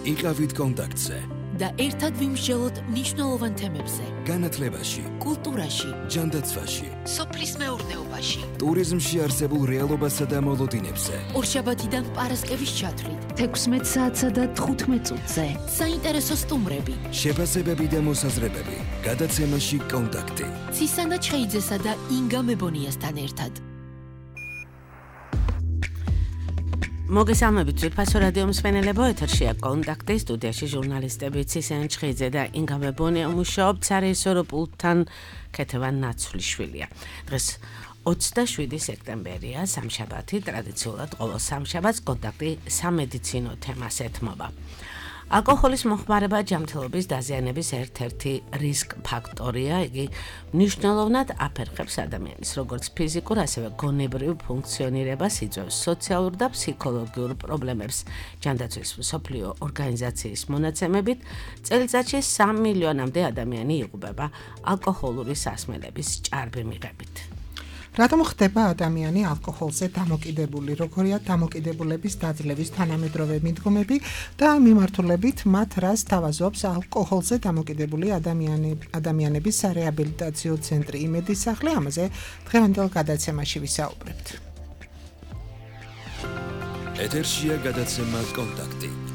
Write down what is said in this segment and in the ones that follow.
იყავით კონტაქტზე და ერთად ვიმსჯელოთ მნიშვნელოვან თემებზე. განათლებაში, კულტურაში, ჯანდაცვაში, სოფლის მეურნეობაში, ტურიზმში არსებულ რეალობასა და მოლოდინებზე. ორშაბათიდან პარასკევის ჩათვლით, 16 საათსა და 15 წუთზე. საინტერესო სტუმრები, შეფასებები და მოსაზრებები. გადაცემაში კონტაქტი. ცისანა ჩხეიძესა და ინგა მებონიასთან ერთად. მოგესალმებით ძვირფასო რადიო მსმენელებო, ეთერშია კონტაქტი, სტუდიაში ჟურნალისტები ცისანა ჩხეიძე და ინგა მებონია მუშაობთ სარეჟისორო პულტთან ქეთევან ნაცვლიშვილია. დღეს 27 სექტემბერია, სამშაბათი, ტრადიციულად ყოველ სამშაბათს კონტაქტი სამედიცინო თემას ეთმობა. ალკოჰოლის მოხმარება ჯანმრთელობის დაზიანების ერთ-ერთი რისკ ფაქტორია, იგი მნიშვნელოვნად აფერხებს ადამიანის როგორც ფიზიკურ, ასევე გონებრივ ფუნქციონირებას, იწვევს სოციალურ და ფსიქოლოგიურ პრობლემებს. ჯანდაცვის მსოფლიო ორგანიზაციის მონაცემებით, წელიწადში 3 მილიონამდე ადამიანი იღუპება ალკოჰოლური სასმელების ჭარბი მიღებით. რატომ ხდება ადამიანი ალკოჰოლზე დამოკიდებული, როგორია დამოკიდებულების დაძლევის თანამედროვე მიდგომები და მიმართულებით მათ რას თავაზობს ალკოჰოლზე დამოკიდებული ადამიანების სარეაბილიტაციო ცენტრი იმედის სახლი, ამაზე დღევანდელ გადაცემაში ვისაუბრებთ. ეთერშია გადაცემა კონტაქტი.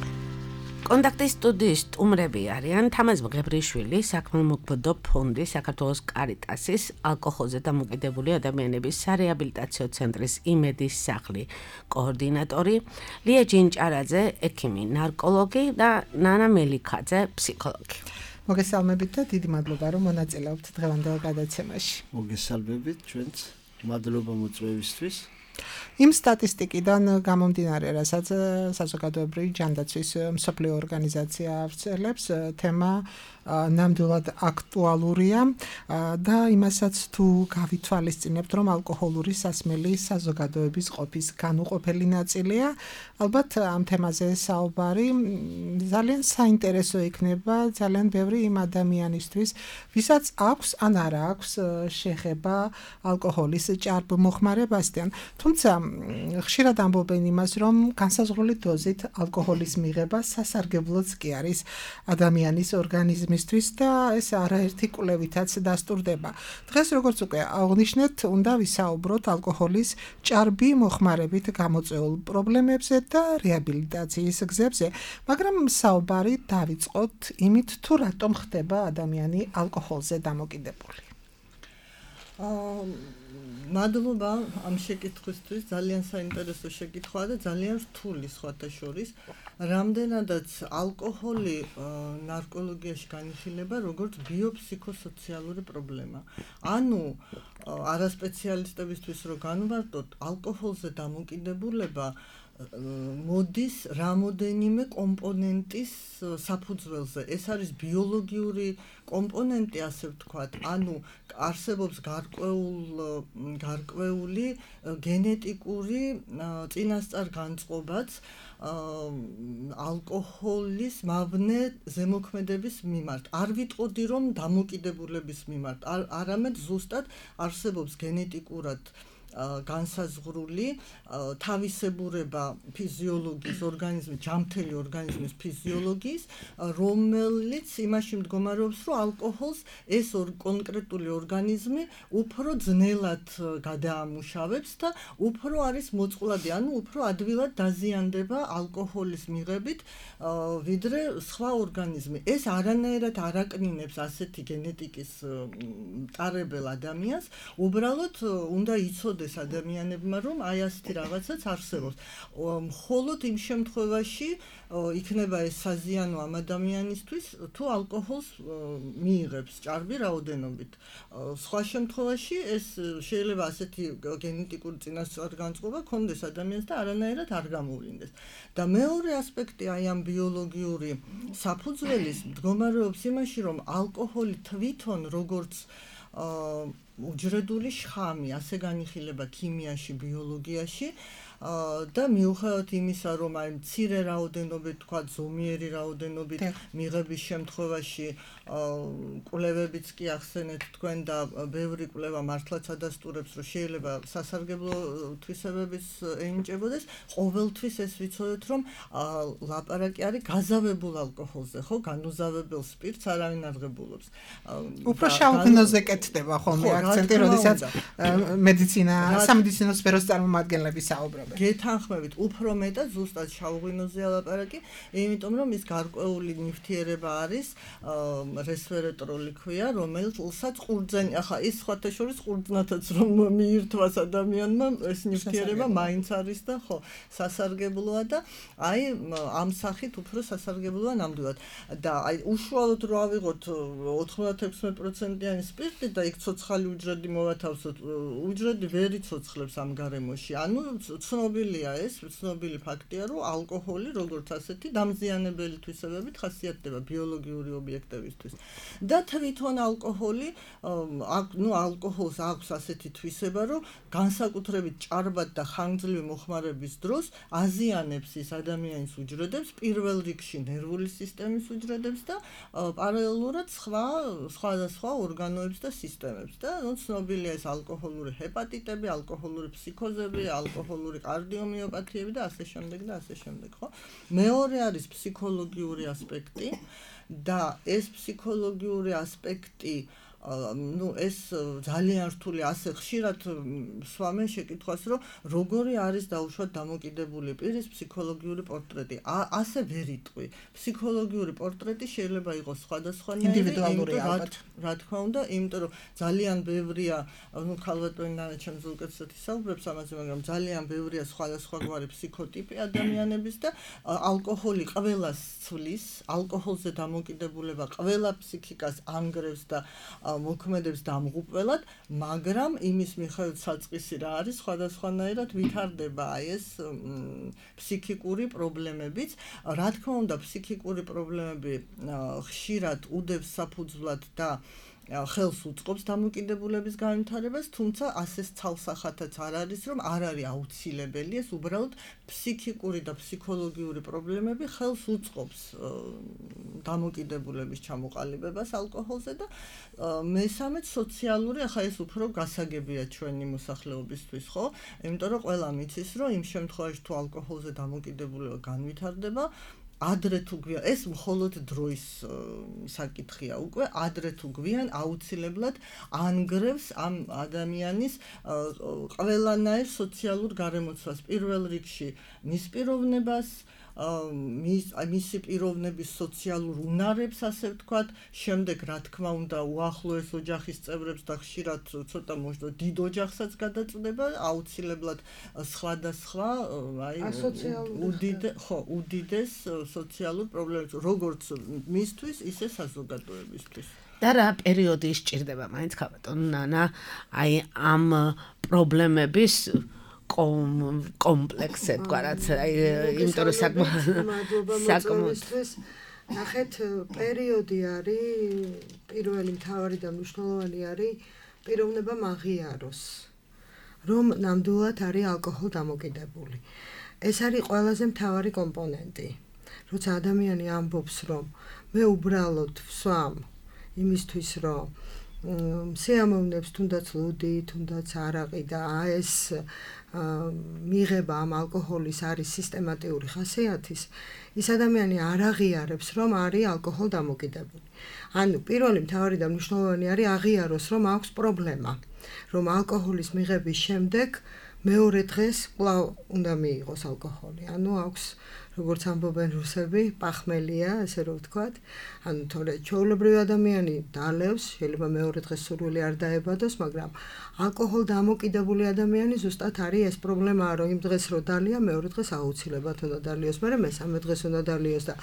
კონტაქტის სტუდიის სტუმრები არიან თამაზ მღებრიშვილი, საქმემოქმედო ფონდი საქართველოს კარიტასის ალკოჰოლზე დამოკიდებული ადამიანების სარეაბილიტაციო ცენტრის იმედის სახლი კოორდინატორი, ლია ჯინჭარაძე, ექიმი, ნარკოლოგი და ნანა მელიქაძე, ფსიქოლოგი. მოგესალმებით და დიდი მადლობა, რომ მონაწილეობთ დღევანდელ გადაცემაში. მოგესალმებით ჩვენც, მადლობა მოწვევისთვის. იმ სტატისტიკიდან გამომდინარე, რასაც საზოგადოებრივი ჯანდაცვის მსოფლიო ორგანიზაცია ავრცელებს, თემა ნამდვილად აქტუალურია და იმასაც თუ გავითვალისწინებთ, რომ ალკოჰოლური სასმელი საზოგადოების ყოფის განუყოფელი ნაწილია, ალბათ ამ თემაზე საუბარი ძალიან საინტერესო იქნება ძალიან ბევრი იმ ადამიანისთვის, ვისაც აქვს ან არა აქვს შეხება ალკოჰოლის ჭარბ მოხმარებასთან. თუმცა ხშირად ამბობენ იმას, რომ განსაზღვრული დოზით ალკოჰოლის მიღება სასარგებლოც კი არის ადამიანის ორგანიზმისთვის და ეს არაერთი კვლევითაც დასტურდება. დღეს როგორც უკვე აღნიშნეთ, უნდა ვისაუბროთ ალკოჰოლის ჭარბი მოხმარებით გამოწვეულ პრობლემებზე და რეაბილიტაციის გზებზე, მაგრამ საუბარი დავიწყოთ იმით, თუ რატომ ხდება ადამიანი ალკოჰოლზე დამოკიდებული. მადლობა ამ შეკითხვისთვის, ძალიან საინტერესო შეკითხვაა და ძალიან რთული სხვათა შორის. რამდენადაც ალკოჰოლი ნარკოლოგიაში განიხილება როგორც ბიოფსიქოსოციალური პრობლემა. ანუ არასპეციალისტებისთვის რო განვარტოთ, ალკოჰოლზე დამოკიდებულება მოდის რამოდენიმე კომპონენტის საფუძველზე. ეს არის ბიოლოგიური კომპონენტი, ასე ვთქვათ, ანუ არსებობს გარკვეული გენეტიკური წინასწარ განწყობაც ალკოჰოლის მავნე ზემოქმედების მიმართ. არ ვიტყოდი, რომ დამოკიდებულების მიმართ, არამედ ზუსტად არსებობს გენეტიკურად განსაზღვრული თავისებურება ფიზიოლოგიის ორგანიზმის, ჯანმრთელი ორგანიზმის ფიზიოლოგიის, რომელიც იმაში მდგომარეობს, რომ ალკოჰოლს ეს კონკრეტული ორგანიზმი უფრო ძნელად გადაამუშავებს და უფრო არის მოწყვლადი, ანუ უფრო ადვილად დაზიანდება ალკოჰოლის მიღებით, ვიდრე სხვა ორგანიზმი. ეს არანაირად არ აკნინებს ასეთი გენეტიკის მტარებელ ადამიანს, უბრალოდ უნდა იცოდეს ადამიანებმა, რომ აი ასეთი რაღაცაც არსებობს. მხოლოდ იმ შემთხვევაში იქნება ეს საზიანო ამ ადამიანისთვის, თუ ალკოჰოლს მიიღებს ჭარბი რაოდენობით. სხვა შემთხვევაში ეს შეიძლება ასეთი გენეტიკური წინასწარგანწყობა ქონდეს ადამიანს და არანაირად არ გამოვლინდეს. და მეორე ასპექტი აი ამ ბიოლოგიური საფუძველის მდგომარეობს იმაში, რომ ალკოჰოლი თვითონ როგორც უჯრედული შხამი, ასე განიხილება ქიმიაში, ბიოლოგიაში, და მიუხედავად იმისა, რომ აი მცირე რაოდენობით, თქვა ზომიერი რაოდენობით მიღების შემთხვევაში კვლევებიც კი ახსენეთ თქვენ და ბევრი კვლევა მართლაც ადასტურებს, რომ შეიძლება სასარგებლო თვისებებიც ენიჭებოდეს, ყოველთვის ეს ვიცოდეთ, რომ ლაპარაკი არის გაზავებულ ალკოჰოლზე, ხო, განუზავებელ სპირტს არავინ არ ღებულობს. უფრო შავგნოზე კეთდება ხოლმე აქცენტი, როდესაც მედიცინა, სამედიცინო სფეროს წარმომადგენლები საუბრობენ. გეთანხმებით, უფრო მეტად ზუსტად შავგნოზეა ლაპარაკი, იმიტომ რომ ის გარკვეული ნივთიერება არის, რესვერატორული ქვია, რომელსაც ყურძენი, ახლა ის სხვათა შორის ყურძნათაც რომ მიირთვას ადამიანმა, ეს ნივთიერება მაინც არის და ხო, სასარგებლოა და აი ამ სახით უფრო სასარგებლოა ნამდვილად. და აი უშუალოდ რო ავიღოთ 96%-იანი სპირტი და იქ ცოცხალი უჯრედი მოვათავსოთ, უჯრედი ვერ იცოცხლებს ამ გარემოში. ანუ ცნობილია ეს, ცნობილი ფაქტია, რომ ალკოჰოლი როგორც ასეთი დამზიანებელი თვისებებით ხასიათდება ბიოლოგიური ობიექტებისთვის. და თვითონ ალკოჰოლი, ალკოჰოლს აქვს ასეთი თვისება, რომ განსაკუთრებით ჭარბად და ხანგრძლივი მოხმარების დროს აზიანებს ის ადამიანის უჯრედებს, პირველ რიგში ნერვული სისტემის უჯრედებს და პარალელურად სხვადასხვა ორგანოებს და სისტემებს. და ცნობილია ეს ალკოჰოლური ჰეპატიტები, ალკოჰოლური ფსიქოზები, ალკოჰოლური კარდიომიოპათიები და ასე შემდეგ და ასე შემდეგ, ხო? მეორე არის ფსიქოლოგიური ასპექტი და ეს ფსიქოლოგიური ასპექტი ეს ძალიან რთული ასე ხშირად სვამენ შეკითხვას, რომ როგორი არის დაუშვათ დამოკიდებული პირის ფსიქოლოგიური პორტრეტი. ასე ვერ იტყვი. ფსიქოლოგიური პორტრეტი შეიძლება იყოს სხვადასხვანაირი, ინდივიდუალური ალბათ. რა თქმა უნდა, იმიტომ რომ ძალიან ბევრია, ქალბატონი ნანაჩემს უკეთესად ისაუბრებს ამაზე, მაგრამ ძალიან ბევრია სხვადასხვაგვარი ფსიქოტიპი ადამიანების და ალკოჰოლი ყველას ცვლის, ალკოჰოლზე დამოკიდებულება ყველა ფსიქიკას ანგრევს და მოქმედებს დამღუპველად, მაგრამ იმის მიხედვით საწყისი რა არის, სხვადასხვანაირად ვითარდება აი ეს ფსიქიკური პრობლემებიც. რა თქმა უნდა, ფსიქიკური პრობლემები ხშირად უდევს საფუძვლად და ხელს უწყობს დამოკიდებულების განვითარებას, თუმცა ასე ცალსახათაც არ არის, რომ არ არის აუცილებელი, ეს უბრალოდ ფსიქიკური და ფსიქოლოგიური პრობლემები ხელს უწყობს დამოკიდებულების ჩამოყალიბებას ალკოჰოლზე და მესამედ სოციალური, ახლა ეს უფრო გასაგებია ჩვენი მოსახლეობისთვის, ხო? იმიტომ რომ ყველა მიცის, რომ იმ შემთხვევაში თუ ალკოჰოლზე დამოკიდებულება განვითარდება, ადრე თუ გვიან, ეს მხოლოდ დროის საკითხია უკვე, ადრე თუ გვიან აუცილებლად ანგრევს ამ ადამიანის ყველანაირ სოციალურ გარემოცვას, პირველ რიგში მის პიროვნებას, მისი პიროვნების სოციალურ უნარებს, ასე ვთქვათ, შემდეგ რა თქმა უნდა უახლოეს ოჯახის წევრებს და ხშირად ცოტა მოშდო დიდ ოჯახსაც გადაწყვეტება, აუცილებლად სხვადასხვა, აი უდიდეს სოციალურ პრობლემებს, როგორც მისთვის, ისე საზოგადოებისთვის. და რა პერიოდი სჭირდება მაინც ქალბატონ ნანა, აი ამ პრობლემების კომპლექსზე თქვა რაც იმიტომ რომ საკმაოდ ნახეთ პერიოდი არის პირველი მთავარი და მნიშვნელოვანი არის პიროვნება მაღიაროს რომ ნამდვილად არის ალკოჰოლ დამოკიდებული. ეს არის ყველაზე მთავარი კომპონენტი. როცა ადამიანი ამბობს რომ მე უბრალოდ ვსვამ იმისთვის რომ სიამოვნებს თუნდაც ლუდი, თუნდაც არაყი და ეს მიღება ამ ალკოჰოლის არის სისტემატიური ხასიათის, ის ადამიანი არ აღიარებს, რომ არის ალკოჰოლ დამოკიდებული. ანუ პირველი მთავარი და მნიშვნელოვანი არის აღიაროს, რომ აქვს პრობლემა, რომ ალკოჰოლის მიღების შემდეგ მეორე დღეს კვლავ უნდა მიიღოს ალკოჰოლი. ანუ აქვს როგორც ამბობენ რუსები, პახმელია, ასე რომ ვთქვათ. ანუ თორე ჩვეულებრივი ადამიანი დალევს, შეიძლება მეორე დღეს სურვილი არ დაებადოს, მაგრამ ალკოჰოლ დამოკიდებული ადამიანი ზუსტად არის ეს პრობლემა, რომ იმ დღეს რო დალია, მეორე დღეს აუცილებლად უნდა დალიოს, მაგრამ მესამე დღეს უნდა დალიოს და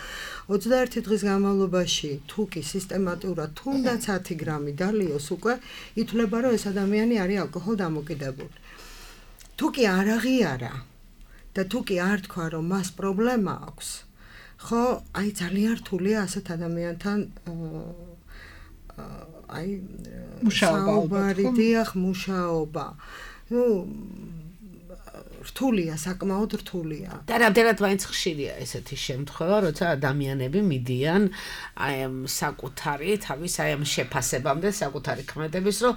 21 დღის განმავლობაში თუ კი სისტემატურად თუნდაც 10 გრამი დალიოს, უკვე ითვლება, რომ ეს ადამიანი არის ალკოჰოლ დამოკიდებული. თუ კი არ აღიარა და თუ კი არ თქვა, რომ მას პრობლემა აქვს, ხო, აი ძალიან რთულია ასეთ ადამიანთან აი მუშაობა. ნუ რთულია, საკმაოდ რთულია. და რამდენად მაინც ხშირია ესეთი შემთხვევა, როცა ადამიანები მიდიან აი ამ საკუთარი თავის აი ამ შეფასებამდე, საკუთარი ქმედების, რომ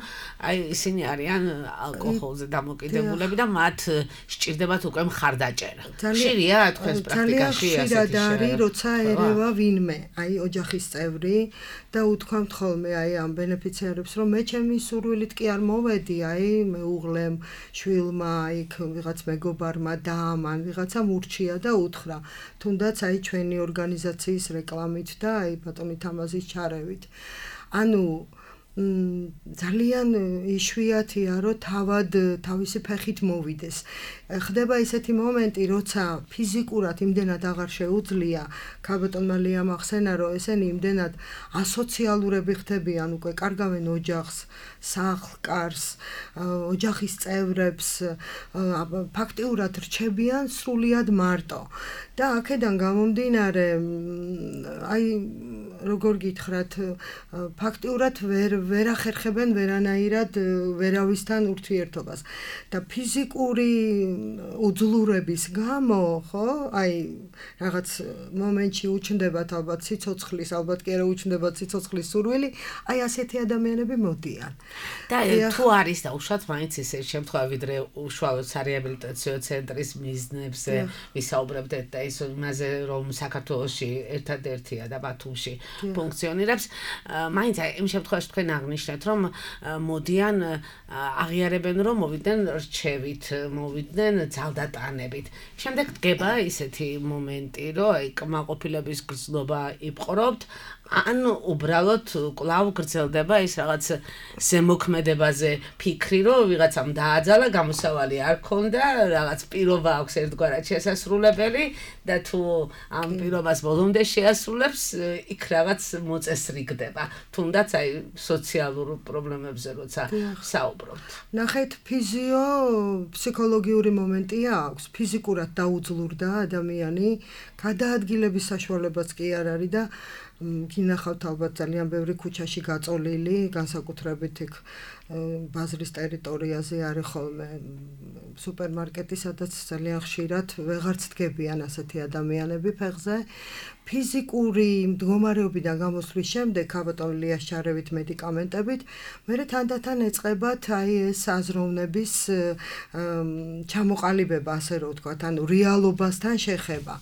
აი ისინი არიან ალკოჰოლზე დამოკიდებულები და მათ სჭირდებათ უკვე მხარდაჭერა. ხშირია თქვენს პრაქტიკაში ესეთი შეხედარი, როცა ერევა ვინმე, აი ოჯახის წევრი და უთქვამთ ხოლმე აი ამ ბენეფიციარებს, რომ მე ჩემი სურვილით კი არ მოვედი, აი მეუღლემ, შვილმა, აი ვიღაც მეგობარმა და მან ვიღაცამ ურჩია და უთხრა, თუნდაც აი ჩვენი ორგანიზაციის რეკლამით და აი ბატონი თამაზის ჩარევით. ანუ ძალიან იშვიათია, რომ თავად თავისი ფეხით მოვიდეს. ხდება ისეთი მომენტი, როცა ფიზიკურად იმდენად აღარ შეუძლია, ქალბატონმა ლიამ ახსენა, რომ ესენი იმდენად ასოციალურები ხდებიან, უკვე კარგავენ ოჯახს, სახლ-კარს, ოჯახის წევრებს, ფაქტიურად რჩებიან სრულიად მარტო. და აქედან გამომდინარე, აი როგორ გითხრათ, ფაქტიურად ვერ ახერხებენ ვერანაირად ვერავისთან ურთიერთობას და ფიზიკური უძლურების გამო, ხო? აი რაღაც მომენტში უჩნდებათ ალბათ სიცოცხლის, ალბათ კი არა უჩნდებათ სიცოცხლის სურვილი, აი ასეთი ადამიანები მოდიან. და თუ არის დაუშვათ მაინც ისე შემთხვევა, ვიდრე უშუალოდ სარეაბილიტაციო ცენტრის მიზნებზე ვისაუბრებდეთ და ის იმაზე, რომ საქართველოში ერთადერთია და ბათუმში ფუნქციონირებს, მაინც იმ შემთხვევაში თქვენ აღნიშნეთ, რომ მოდიან აღიარებენ, რომ მოვიდნენ რჩევით, მოვიდნენ ძალდატანებით. შემდეგ დგება ისეთი მომენტი, რომ აი კმაყოფილების გრძნობა იპყრობთ, ან უბრალოდ კვლავ გრძელდება ის რაღაც ზემოქმედებაზე ფიქრი, რომ ვიღაცამ დააძალა, გამოსავალი არ ქონდა, რაღაც პირობა აქვს ერთგვარად შესასრულებელი და თუ ამ პირობას ბოლომდე შეასრულებს, იქ რაღაც მოწესრიგდება. თუნდაც აი სოციალურ პრობლემებზე როცა საუბრობთ. ნახეთ, ფსიქოლოგიური მომენტია აქვს, ფიზიკურად დაუძლურდა ადამიანი, გადაადგილების საშუალებაც კი არ არის და გინახავთ ალბათ ძალიან ბევრი ქუჩაში გაწოლილი, განსაკუთრებით იქ ბაზრის ტერიტორიაზე არის ხოლმე სუპერმარკეტი, სადაც ძალიან ხშირად ვეღარც დგებიან ასეთი ადამიანები ფეხზე. ფიზიკური მდგომარეობიდან გამოსვლის შემდეგ, ქალბატონ ლიას ჩარევით მედიკამენტებით, მერე თანდათან ეწყებათ აი ეს აზროვნების ჩამოყალიბება, ასე რომ ვთქვათ, ანუ რეალობასთან შეხება.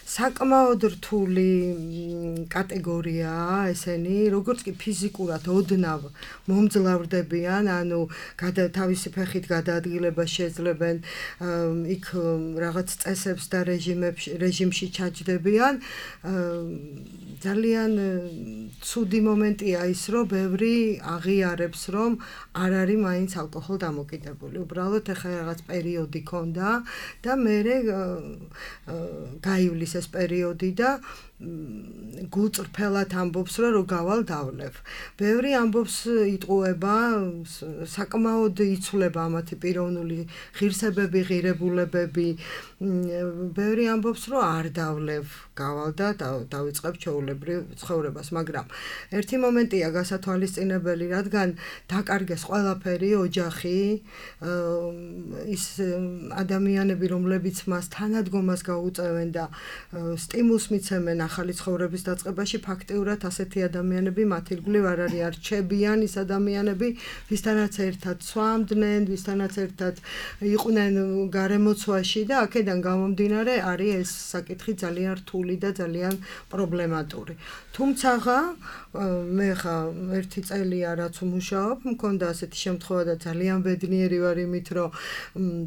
საკმაოდ რთული კატეგორიაა ესენი, როგორც კი ფიზიკურად ოდნავ მომძლავრდებიან, ანუ თავისი ფეხით გადაადგილებას შეძლებენ, იქ რაღაც წესებს და რეჟიმში ჩაჯდებიან. ძალიან ცუდი მომენტია ის, რომ ბევრი აღიარებს, რომ არ არის მაინც ალკოჰოლ დამოკიდებული. უბრალოდ ეხლა რაღაც პერიოდი ქონდა და მერე გაივლის ეს პერიოდი და გულწრფელად ამბობს, რომ გავალ დავლევ. ბევრი ამბობს იტყუება, საკმაოდ იცვლება ამათი პიროვნული ღირსებები, ღირებულებები. ბევრი ამბობს, რომ არ დავლევ, გავალ და დავიწყებ ჩვეულებრივ ცხოვრებას, მაგრამ ერთი მომენტია გასათვალისწინებელი, რადგან დაკარგეს ყველაფერი, ოჯახი, ის ადამიანები, რომლებიც მას თანადგომას გაუწევენ და სტიმულს მიცემენ ახალი ცხოვრების დაწყებაში, ფაქტიურად ასეთი ადამიანები მათ ირგვლივ არ არის, არ რჩებიან ის ადამიანები, ვისთანაც ერთად სვამდნენ, ვისთანაც ერთად იყვნენ გარემოცვაში და აქედან გამომდინარე არის ეს საკითხი ძალიან რთული და ძალიან პრობლემატური. თუმცა მე ხა ერთი წელია რაც ვმუშაობ, მქონდა ასეთი შემთხვევა და ძალიან ბედნიერი ვარ იმით, რომ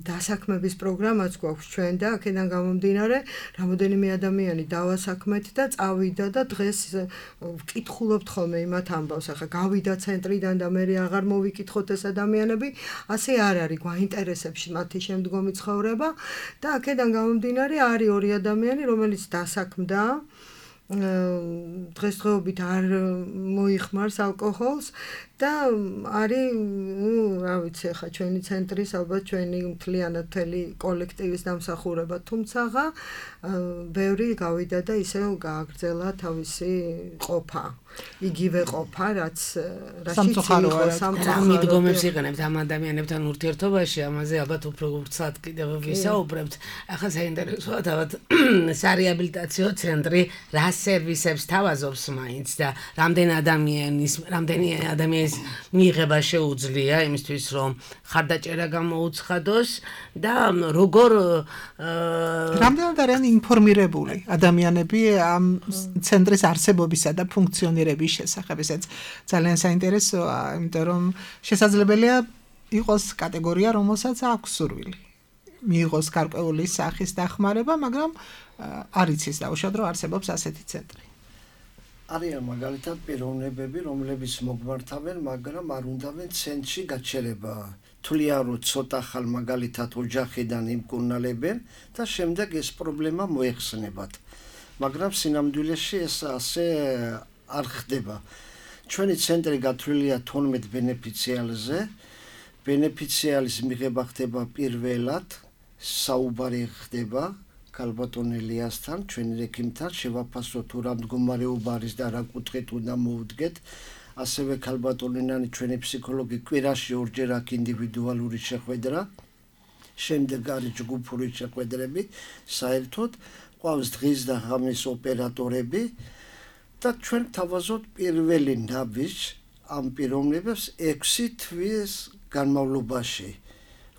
დასაქმების პროგრამაც გვაქვს ჩვენ და აქედან გამომდინარე რამოდენიმე ადამიანი დავასაქმეთ და წავიდა და დღეს ვკითხულობთ ხოლმე იმათ ამბავს, ახლა გავიდა ცენტრიდან და მე აღარ მოვიკითხოთ ეს ადამიანები, ასე არ არის, გვაინტერესებს მათი შემდგომი ცხოვრება და აქედან გამომდინარე არის ორი ადამიანი, რომელიც დასაქმდა დღესდღეობით არ მოიხმარს ალკოჰოლს და არის, რა ვიცი, ხა ჩვენი ცენტრის ალბათ ჩვენი მთლიანად მთელი კოლექტივის დამსახურება, თუმცაღა ბევრი გავიდა და ისევ გააგრძელა თავისი ყოფა. იგივე ყოფა, რაც რაშიც იყო მიდგომებს იყენებთ ამ ადამიანებთან ურთიერთობაში, ამაზე ალბათ უფრო ვრცლად კიდევ ვისაუბრებთ. ახლა საინტერესოა თავად სარეაბილიტაციო ცენტრი რა სერვისებს თავაზობს მაინც და რამდენი ადამიანის მიღება შეუძლია იმისთვის, რომ ხარდაჭერა გამოუცხადოს და როგორ რამდენად არიან ინფორმირებული ადამიანები ამ ცენტრის არსებობისა და ფუნქციონირების შესახებ. ესეც ძალიან საინტერესოა, იმიტომ რომ შესაძლებელია იყოს კატეგორია, რომელსაც აქვს სურვილი მიიღოს გარკვეული სახის დახმარება, მაგრამ არ იცის დაუშვათ, რომ არსებობს ასეთი ცენტრი. არიან მაგალითად პიროვნებები, რომლებიც მოგმართავენ, მაგრამ არ უნდავენ ცენტრში გაჩერება. თვლიან, რომ ცოტა ხალ მაგალითად ოჯახიდან იმკურნალებენ და შემდეგ ეს პრობლემა მოეხსნებათ. მაგრამ სინამდვილეში ეს ასე არ ხდება. ჩვენი ცენტრი გათვლილია 12 ბენეფიციარზე. ბენეფიციარის მიღება ხდება პირველად, საუბარი ხდება ქალბატონ ელიასთან, ჩვენი რექიმთან, შევაფასოთ თუ რა მდგომარეობა არის და რა კუთხით უნდა მოვუდგეთ. ასევე ქალბატონინანი ჩვენი ფსიქოლოგი კვირაში ორჯერ აქვს ინდივიდუალური შეხვედრა. შემდეგ არის ჯგუფური შეხვედრები, საერთოდ ყავს დღის და ღამის ოპერატორები და ჩვენ თავაზობთ პირველი ნაბიჯს ამ პიროვნებებს 6 თვის განმავლობაში,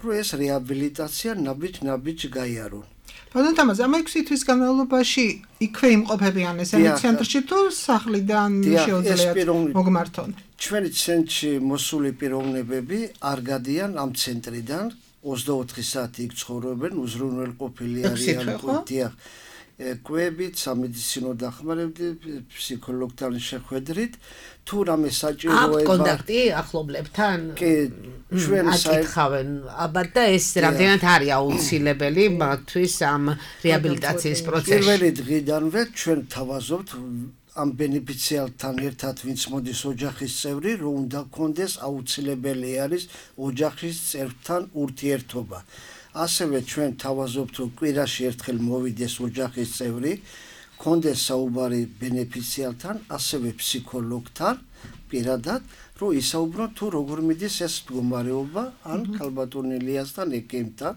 რომ ეს რეაბილიტაცია ნაბიჯ გაიარონ. ბატონო თამაზ, ამ 6 თვის განმავლობაში იქვე იმყოფებიან ესენი ცენტრში თუ სახლიდან შეუძლიათ მოგმართონ? ჩვენი ცენტრში მოსული პიროვნებები არ გადიან ამ ცენტრიდან, 24 საათი იქ ცხოვრობენ, უზრუნველყოფილი არიან კუთია. კვებით, სამედიცინო დახმარებით, ფსიქოლოგთან შეხვედრით, თუ რამე საჭიროება კონტაქტი ახლობლებთან კი ჩვენ აკითხავენ, აბათ და ეს რამდენად არის აუცილებელი მათთვის ამ რეაბილიტაციის პროცესში. პირველი დღიდანვე ჩვენ თავაზობთ ამ ბენეფიციართან ერთად, ვინც მოდის ოჯახის წევრი, რომ უნდა კონდეს აუცილებელი არის ოჯახის წევრთან ურთიერთობა. ასევე ჩვენ თავაზობთ, რომ კვირაში ერთხელ მოვიდეს ოჯახის წევრი, კონდეს საუბარი ბენეფიციართან, ასევე ფსიქოლოგთან, პირადად, რომ ისაუბრონ თუ როგორ მიდის ეს მდგომარეობა, ან ქალბატონ ელიასთან, ექიმთან.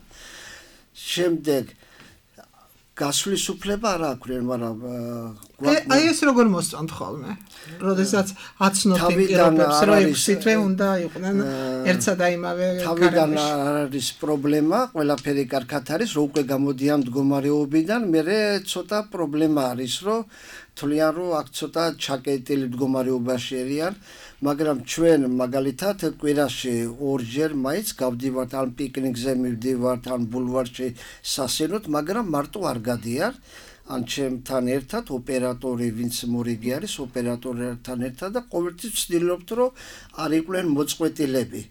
შემდეგ გასვლის უფლება არ აქვს, მაგრამ აი ეს როგორ მოსწონთ ხოლმე? როდესაც აცნობთ პირობებს, რომ 6 თვე უნდა იყვნენ ერთსა და იმავე თავიდან არის პრობლემა, ყველაფერი კარგად არის, რომ უკვე გამოდიან მდგომარეობიდან, მერე ცოტა პრობლემა არის, რომ თვლიან, რომ აქ ცოტა ჩაკეტილი მდგომარეობაში არიან, მაგრამ ჩვენ მაგალითად კვირაში ორჯერ მაინც გავდივართ, ან პიკნიკზე მივდივართ, ან ბულვარში სასინოდ, მაგრამ მარტო არ გადიან. ან ჩემთან ერთად ოპერატორი, ვინც მორიგი არის, ოპერატორთან ერთად და ყოველთვის ვცდილობთ, რომ არ იყვნენ მოწყვეტილები.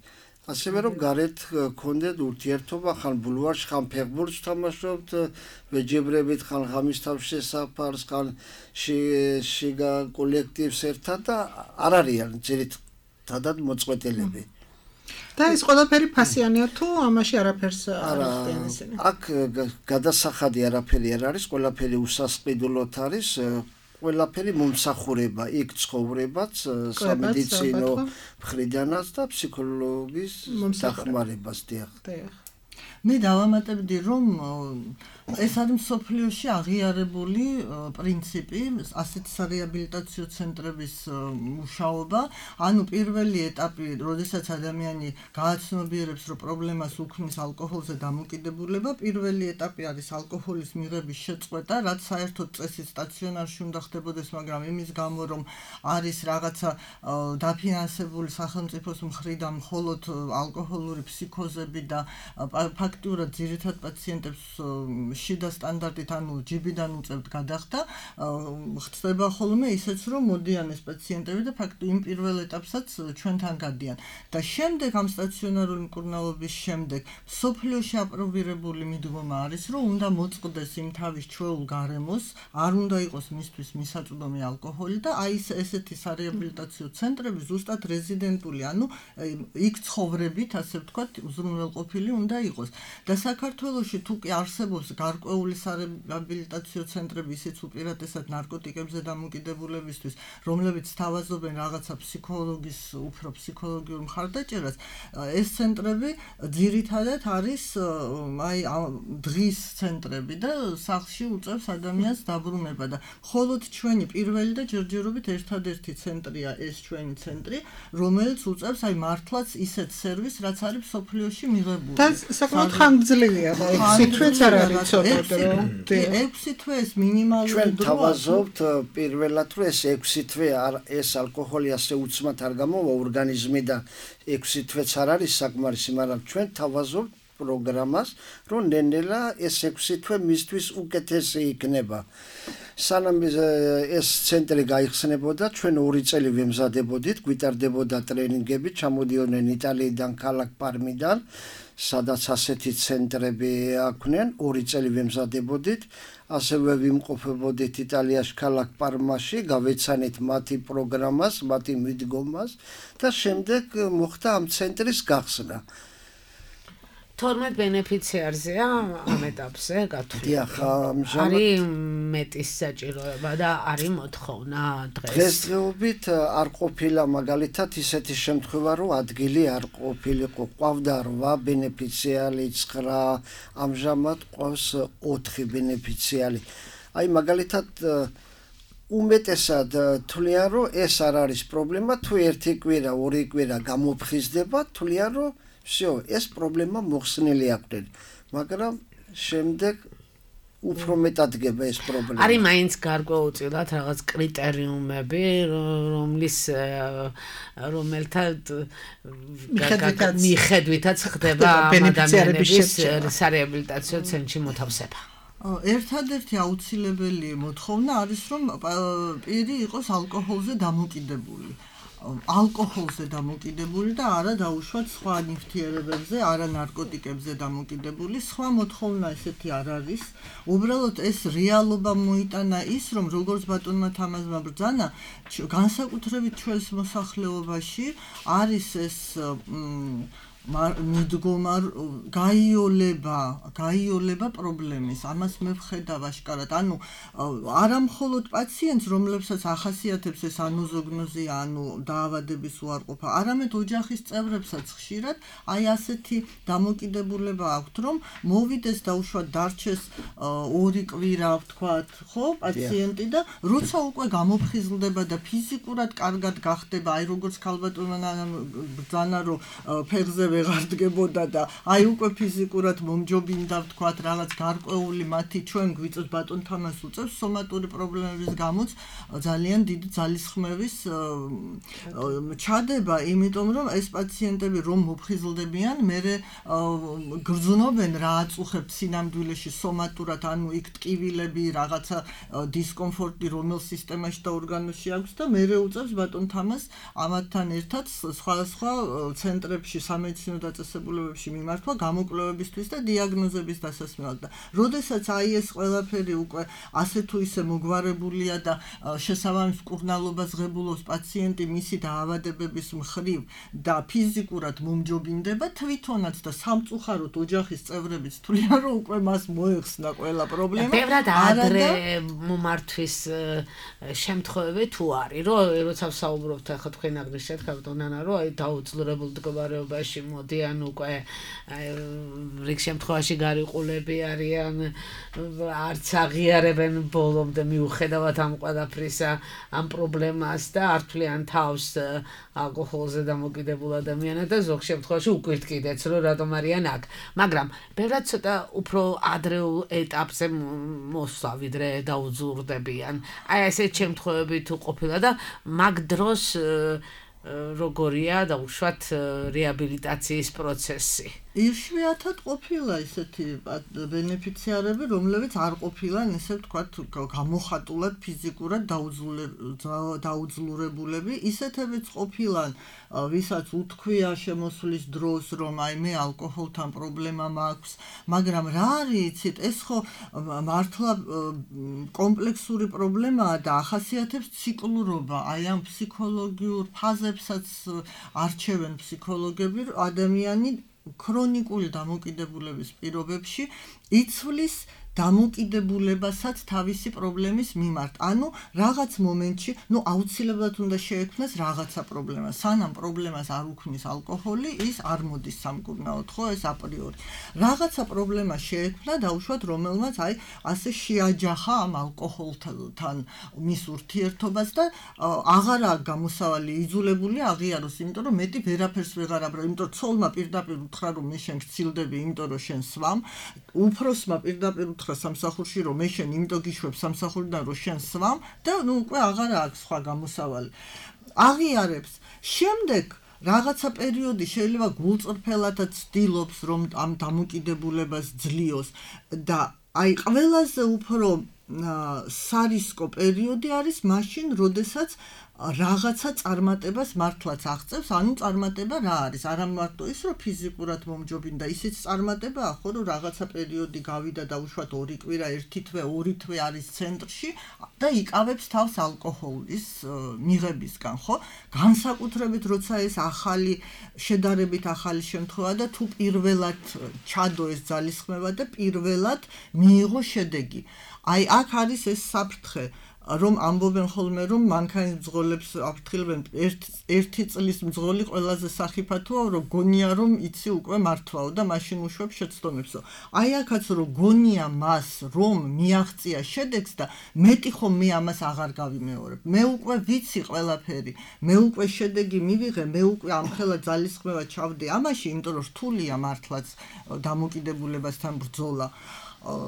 ასევე რომ გარეთ გქონდეთ ურთიერთობა, ხან ბულვარში, ხან ფეხბურთს თამაშობთ, ვეჯიბრებით, ხან ღამის თავში საფარს, ხან შიგა კოლექტივს ერთად და არ არიან ძირითადად მოწყვეტილები. და ეს ყველაფერი ფასიანია თუ ამაში არაფერს არ ახდიან ესენი? აქ გადასახადი არაფერი არ არის, ყველაფერი უსასყიდლოდ არის, ყველაფერი მომსახურება, იქ ცხოვრებაც, სამედიცინო მხრიდანაც და ფსიქოლოგის დახმარებას დიახ. მე დავამატებდი, რომ ეს არის მსოფლიოში აღიარებული პრინციპი, ასეთი სარეაბილიტაციო ცენტრების მუშაობა, ანუ პირველი ეტაპი, როდესაც ადამიანი გააცნობიერებს, რომ პრობლემას უქმნის ალკოჰოლზე დამოკიდებულება, პირველი ეტაპი არის ალკოჰოლის მიღების შეწყვეტა, რაც საერთოდ წესით სტაციონარში უნდა ხდებოდეს, მაგრამ იმის გამო, რომ არის რაღაცა დაფინანსებული სახელმწიფოს მხრიდან მხოლოდ ალკოჰოლური ფსიქოზები და ფაქტიურად ძირითად პაციენტებს შიდა სტანდარტით, ანუ ჯიბიდან უწევთ გადახდა, ხდება ხოლმე ისეც, რომ მოდიან ეს პაციენტები და იმ პირველ ეტაპსაც ჩვენთან გადიან. და შემდეგ ამ სტაციონარული მკურნალობის შემდეგ სოფლიოში აპრობირებული მიდგომა არის, რომ უნდა მოწყდეს იმ თავის ჩვეულ გარემოს, არ უნდა იყოს მისთვის მისაწვდომი ალკოჰოლი და აი ესეთი სარეაბილიტაციო ცენტრები ზუსტად რეზიდენტული, ანუ იქ ცხოვრებით, ასე ვთქვათ, უზრუნველყოფილი უნდა იყოს. და საქართველოში თუ კი არსებობს გარკვეული სარეაბილიტაციო ცენტრები, ისიც უპირატესად ნარკოტიკებზე დამოკიდებულებისთვის, რომლებიც თავაზობენ რაღაცა უფრო ფსიქოლოგიურ მხარდაჭერას, ეს ცენტრები ძირითადად არის აი დღის ცენტრები და სახლში უწევს ადამიანს დაბრუნება და მხოლოდ ჩვენი პირველი და ჯერჯერობით ერთადერთი ცენტრია ეს ჩვენი ცენტრი, რომელიც უწევს აი მართლაც ისეთ სერვისს, რაც არის სოფლიოში მიღებული. და საკმაოდ ხანგრძლივია და 6 თვეც არ არის ცოტა რომ 6 თვე ეს მინიმალური ჩვენ თავაზობთ პირველად რომ ეს 6 თვე ეს ალკოჰოლი ასე უცმად არ გამოვა ორგანიზმიდან 6 თვეც არ არის საკმარისი, მაგრამ ჩვენ თავაზობთ პროგრამას, რომ ნენელა ეს 6 თვე მისთვის უკეთესი იქნება. სანამ ეს ცენტრი გაიხსნებოდა, ჩვენ 2 წელი ვემზადებოდით, გვიტარდებოდა ტრენინგები, ჩამოდიოდნენ იტალიიდან, ქალაქ პარმიდან, სადაც ასეთი ცენტრები აქვნენ, 2 წელი ვემზადებოდით, ასევე ვიმყოფებოდით იტალიაში, ქალაქ პარმაში, გავეცანით მათი პროგრამას, მათი მიდგომას და შემდეგ მოხდა ამ ცენტრის გახსნა. 12 ბენეფიციარზეა ამ ეტაპზე გათვლილი. დიახ, ამჟამად არის მეტის საჭიროება და არის მოთხოვნა დღეს. დღესდღეობით არ ყოფილა მაგალითად ისეთი შემთხვევა, რომ ადგილი არ ყოფილიყო. ყავდა 8 ბენეფიციარი, 9, ამჟამად ყავს 4 ბენეფიციარი. აი მაგალითად უმეტესად თვლიან, რომ ეს არ არის პრობლემა, თუ 1 კვირა, 2 კვირა გამოფხიზდება, თვლიან, რომ всё, ეს პრობლემა მოხსნილი აქვს, მაგრამ შემდეგ უფრო მეტად გება ეს პრობლემა. არის მაინც გარკვეულწილად რაღაც კრიტერიუმები, რომელთაც მიხედვითაც ხდება ადამიანების სარეაბილიტაციო ცენტრში მოთავსება. ერთადერთი აუცილებელი მოთხოვნა არის, რომ პირი იყოს ალკოჰოლზე დამოკიდებული. ალკოჰოლზე დამოკიდებული და არა დაუშვათ სხვა ნივთიერებებზე, არა ნარკოტიკებზე დამოკიდებული. სხვა მოთხოვნა ესეთი არ არის. უბრალოდ ეს რეალობა მოიტანა ის, რომ როგორც ბატონმა თამაზმა ბრძანა, განსაკუთრებით ჩვენს მოსახლეობაში არის ეს მიდგომა გაიოლება პრობლემის. ამას მე ვხედავ აშკარად. ანუ არა მხოლოდ პაციენტს, რომლებსაც ახასიათებს ეს ანოზოგნოზია, ანუ დაავადების უარყოფა, არამედ ოჯახის წევრებსაც ხშირად აი ასეთი დამოკიდებულება აქვთ, რომ მოვიდეს დაუშვათ დარჩეს 2 კვირა, ვთქვათ, ხო, პაციენტი და როცა უკვე გამოფხიზლდება და ფიზიკურად კარგად გახდება, აი როგორც ქალბატონმა ბრძანა, რომ ფეხზე ვეღარ დგებოდა და აი უკვე ფიზიკურად მომჯობინდა, ვთქვათ, რაღაც გარკვეული მათი ჩვენ გვიწევს ბატონ თამას უწევს სომატური პრობლემების გამოც ძალიან დიდი ძალისხმევის ჩადება, იმიტომ რომ ეს პაციენტები რომ მოფხიზლდებიან, მერე გრძნობენ რა აწუხებთ სინამდვილეში სომატურად, ანუ იქ ტკივილები, რაღაცა დისკომფორტი რომელ სისტემაში და ორგანოში აქვს და მერე უწევს ბატონ თამას ამათთან ერთად სხვადასხვა ცენტრებში სამედიცინო დაწესებულებებში მიმართვა გამოკვლევებისთვის და დიაგნოზების დასასმელად და როდესაც აი ეს ყველაფერი უკვე ასე თუ ისე მოგვარებულია და შესაბამის მკურნალობას ღებულობს პაციენტი მისი დაავადებების მხრივ და ფიზიკურად მომჯობინდება, თვითონაც და სამწუხაროდ ოჯახის წევრებიც თვლიან, რომ უკვე მას მოეხსნა ყველა პრობლემა. ბევრად ადრე მომართვის შემთხვევები თუ არის, როცა ვსაუბრობთ ახლა თქვენ აღნიშნეთ ქალბატონანა, რომ აი დაუძლურებულ მდგომარეობაში მოდიან უკვე რიგ შემთხვევაში გარიყულები არიან, არც აღიარებენ ბოლომდე მიუხედავად ამ ყველაფრისა ამ პრობლემას და არ თვლიან თავს ალკოჰოლზე დამოკიდებულ ადამიანად და ზოგ შემთხვევაში უკვირთ კიდეც რომ რატომ არიან აქ, მაგრამ ბევრად ცოტა უფრო ადრეულ ეტაპზე მოსვლა ვიდრე დაუძურდებიან. აი ესეთ შემთხვევები თუ ყოფილა და მაგ დროს როგორია დაუშვათ რეაბილიტაციის პროცესი. იშვიათად ყოფილა ისეთი ბენეფიციარები, რომლებიც არ ყოფილან ესე ვთქვათ გამოხატულად ფიზიკურად დაუძლურებულები, ისეთებიც ყოფილან, ვისაც უთქვია შემოსვლის დროს, რომ აი მე ალკოჰოლთან პრობლემა მაქვს, მაგრამ რა არის, იცით, ეს ხო მართლა კომპლექსური პრობლემაა და ახასიათებს ციკლურობა, აი ამ ფსიქოლოგიურ ფაზებსაც არჩევენ ფსიქოლოგები, ადამიანი ქრონიკული დამოკიდებულების პირობებში იცვლის დამოკიდებულებასაც თავისი პრობლემის მიმართ. ანუ რაღაც მომენტში, აუცილებლად უნდა შეექმნას რაღაცა პრობლემა. სანამ პრობლემას არ უქმნის ალკოჰოლი, ის არ მოდის სამკურნალოდ, ხო, ეს აპრიორი. რაღაცა პრობლემა შეექმნა, დაუშვათ, რომელმაც აი ასე შეაჯახა ამ ალკოჰოლთან მის ურთიერთობას და აღარა გამოსავალი იძულებული აღიაროს, იმიტომ რომ მეტი ვერაფერს ვეღარ აბრალ, იმიტომ რომ ცოლმა პირდაპირ უთხრა, რომ მე შენ გცილდები, იმიტომ რომ შენ სვამ, უფროსმა პირდაპირ სამსახურში რომ მე შენ იმიტომ გიშვებ სამსახურიდან რომ შენ სვამ და უკვე აღარა აქვს სხვა გამოსავალი. აღიარებს. შემდეგ რაღაცა პერიოდი შეიძლება გულწრფელადაც ცდილობს რომ ამ დამოკიდებულებას ძლიოს და აი ყველაზე უფრო სარისკო პერიოდი არის მაშინ, როდესაც რაღაცა წარმატებას მართლაც აღწევს, ანუ წარმატება რა არის? არა მარტო ის, რომ ფიზიკურად მომჯობინდა, ისიც წარმატებაა, ხო, რომ რაღაცა პერიოდი გავიდა და უშუალოდ 2 კვირა, 1 თვე, 2 თვე არის ცენტრში და იკავებს თავს ალკოჰოლის მიღებისგან, ხო? განსაკუთრებით, როცა ეს ახალი, შედარებით ახალი შემთხვევა და თუ პირველად ჩადო ეს ძალისხმევა და პირველად მიიღო შედეგი. აი, აქ არის ეს საფრთხე. რომ ამბობენ ხოლმე რომ მანქანის მძღოლებს აფრთხილებენ ერთი წლის მძღოლი ყველაზე სახიფათოა რომ გონია რომ იცი უკვე მართვაო და მაშინ უშვებ შეცდომებსო. აი აქაც რომ გონია მას რომ მიაღწია შედეგს და მეტი ხომ მე ამას აღარ გავიმეორებ. მე უკვე ვიცი ყველაფერი, მე უკვე შედეგი მივიღე, მე უკვე ამხელა ძალისხმევა ჩავდი ამაში, იმიტომ რომ რთულია მართლაც დამოკიდებულებასთან ბრძოლა.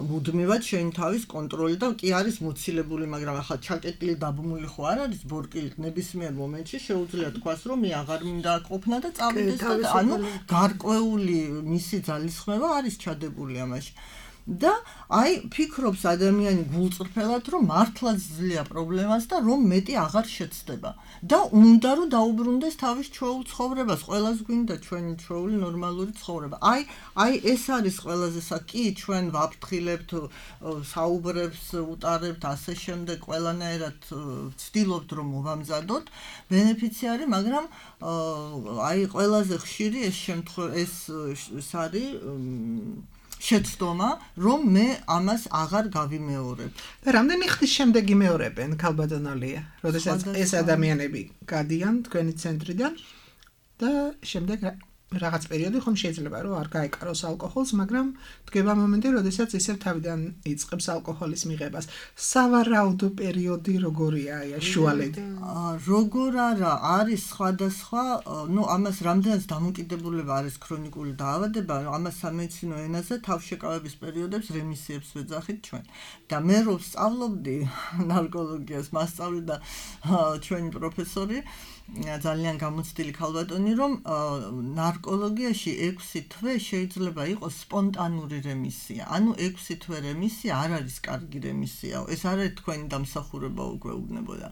მუდმივად შენ თავის კონტროლი და კი არის მოცილებული, მაგრამ ახლა ჩაკეტილი დაბმული ხო არ არის ბორკილით ნებისმიერ მომენტში შეუძლია თქვას რომ მე აღარ მინდა ყოფნა და წავიდეს და ანუ გარკვეული მისი ძალისხმევა არის ჩადებული ამაში. და აი ფიქრობს ადამიანი გულწრფელად რომ მართლაც ძლია პრობლემას და რომ მეტი აღარ შეცდება და უნდა რომ დაუბრუნდეს თავის ჩვეულ ცხოვრებას, ყველას გვინდა ჩვენი ჩვეული ნორმალური ცხოვრება. აი ეს არის ყველაზე კი ჩვენ ვაფრთხილებთ, საუბრებს ვუტარებთ ასე შემდეგ, ყველანაირად ვცდილობთ რომ მოვამზადოთ ბენეფიციარი, მაგრამ აი ყველაზე ხშირი ეს შემთხვევა ეს არის შეცდომა, რომ მე ამას აღარ გავიმეორებ. და რამდენი ხნის შემდეგ იმეორებენ, ქალბატონალია, როდესაც ეს ადამიანები გადიან თქვენი ცენტრიდან და შემდეგ რაღაც პერიოდი ხომ შეიძლება რომ არ გაეკაროს ალკოჰოლს, მაგრამ დგება მომენტი, როდესაც ისევ თავიდან იწყებს ალკოჰოლის მიღებას. სავარაუდო პერიოდი როგორია შუალედი? როგორ არა, არის სხვადასხვა, ამას რამდენიც დამოკიდებულება არის ქრონიკული დაავადება, ამას სამედიცინო ენაზე თავშეკავების პერიოდებს რემისიებს ვეძახით ჩვენ. და მე რომ სწავლობდი ნარკოლოგიას, მასწავლიდა ჩვენი პროფესორი, ძალიან გამოცდილი ქალბატონი, რომ ნარკოლოგიაში 6 თვე შეიძლება იყოს სპონტანური რემისია. ანუ 6 თვე რემისია არ არის კარგი რემისიაო. ეს არ არის თქვენი დამსახურება უგვეუბნებოდა.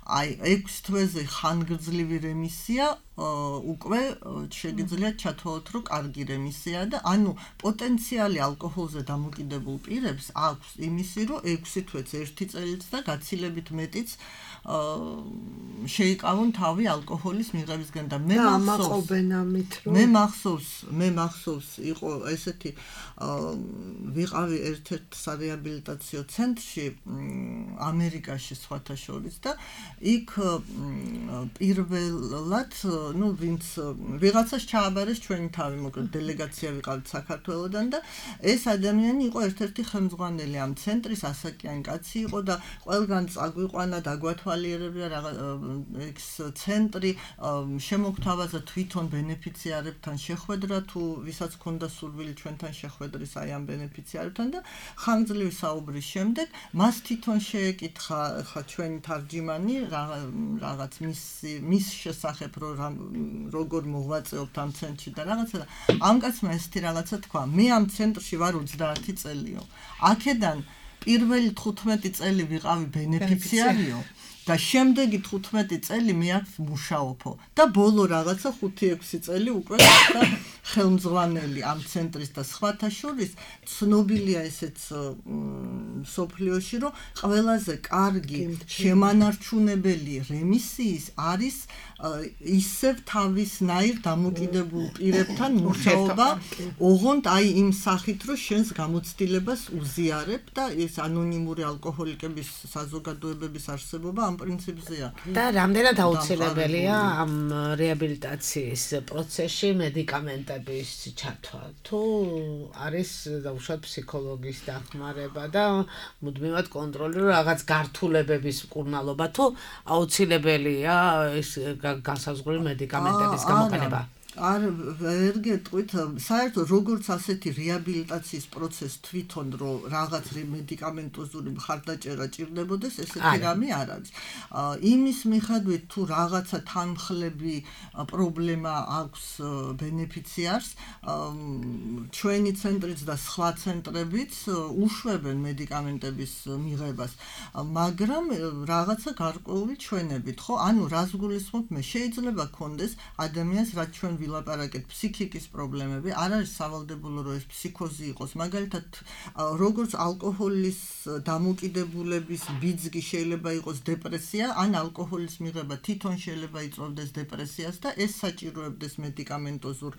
აი 6 თვეზე ხანგრძლივი რემისია უკვე შეგიძლიათ ჩათვალოთ, რომ კარგი რემისია და ანუ პოტენციალი ალკოჰოლზე დამოკიდებულ პირებს აქვს იმისი, რომ 6 თვეც 1 წელიც და გაცილებით მეტიც შეიკავონ თავი ალკოჰოლის მიღებისგან და მე მახსოვს იყო ესეთი ვიყავი ერთ-ერთ სარეაბილიტაციო ცენტრში ამერიკაში სხვათა შორის და იქ პირველად ვინც ვიღაცას ჩააბარეს ჩვენი თავი, მოკლედ დელეგაცია ვიყავით საქართველოდან და ეს ადამიანი იყო ერთ-ერთი ხელმძღვანელი ამ ცენტრის, ასაკიანი კაცი იყო და ყველგან წაგვიყვანა, დაგვათვალიერებდა განვითარებია ეს ცენტრი შემოგთავაზა თვითონ ბენეფიციარებთან შეხვედრა თუ ვისაც ჰქონდა სურვილი ჩვენთან შეხვედრის აი ამ ბენეფიციარებთან და ხანგრძლივი საუბრის შემდეგ მას თვითონ შეეკითხა ხა ჩვენი თარჯიმანი რაღაც მის შესახებ როგორ მოღვაწეობთ ამ ცენტრში და რაღაცა და ამ კაცმა ესეთი რაღაცა თქვა მე ამ ცენტრში ვარ 30 წელიო აქედან პირველი 15 წელი ვიყავი ბენეფიციარიო და შემდეგი 15 წელი მე აქ მუშაობო და ბოლო რაღაცა 5-6 წელი უკვე და ხელმძღვანელი ამ ცენტრის და სხვათა შორის ცნობილია ესეც სოფლიოში რომ ყველაზე კარგი შემანარჩუნებელი რემისიის არის ისევ თავისნაირ დამოკიდებულ პირებთან მუშაობა ოღონდ აი იმ სახით რომ შენს გამოცდილებას უზიარებ და ეს ანონიმური ალკოჰოლიკების საზოგადოებების არსებობა ამ პრინციპზეა და რამდენად აუცილებელია ამ რეაბილიტაციის პროცესში მედიკამენტების ჩართვა თუ არის დაუშვათ ფსიქოლოგის დახმარება და მუდმივად კონტროლი რომ რაღაც გართულებების მკურნალობა თუ აუცილებელია ეს განსაზღვრული მედიკამენტების გამოყენება არ ვერ გეტყვით საერთოდ როგორც ასეთი რეაბილიტაციის პროცესი თვითონ რომ რაღაც მედიკამენტოზური მხარდაჭერა ჭირდებოდეს ესეთი რამე არ არის იმის მიხედვით თუ რაღაცა თანმხლები პრობლემა აქვს ბენეფიციარს ჩვენი ცენტრიც და სხვა ცენტრებიც უშვებენ მედიკამენტების მიღებას მაგრამ რაღაცა გარკვეული ჩვენებით ხო ანუ რას გულისხმობ მე შეიძლება გქონდეს ადამიანს რაც ჩვენ ვილაპარაკეთ ფსიქიკის პრობლემები არ არის სავალდებულო რომ ეს ფსიქოზი იყოს მაგალითად როგორც ალკოჰოლის დამოკიდებულების ბიძგი შეიძლება იყოს დეპრესია ან ალკოჰოლის მიღება თვითონ შეიძლება იწვევდეს დეპრესიას და ეს საჭიროებდეს მედიკამენტოზურ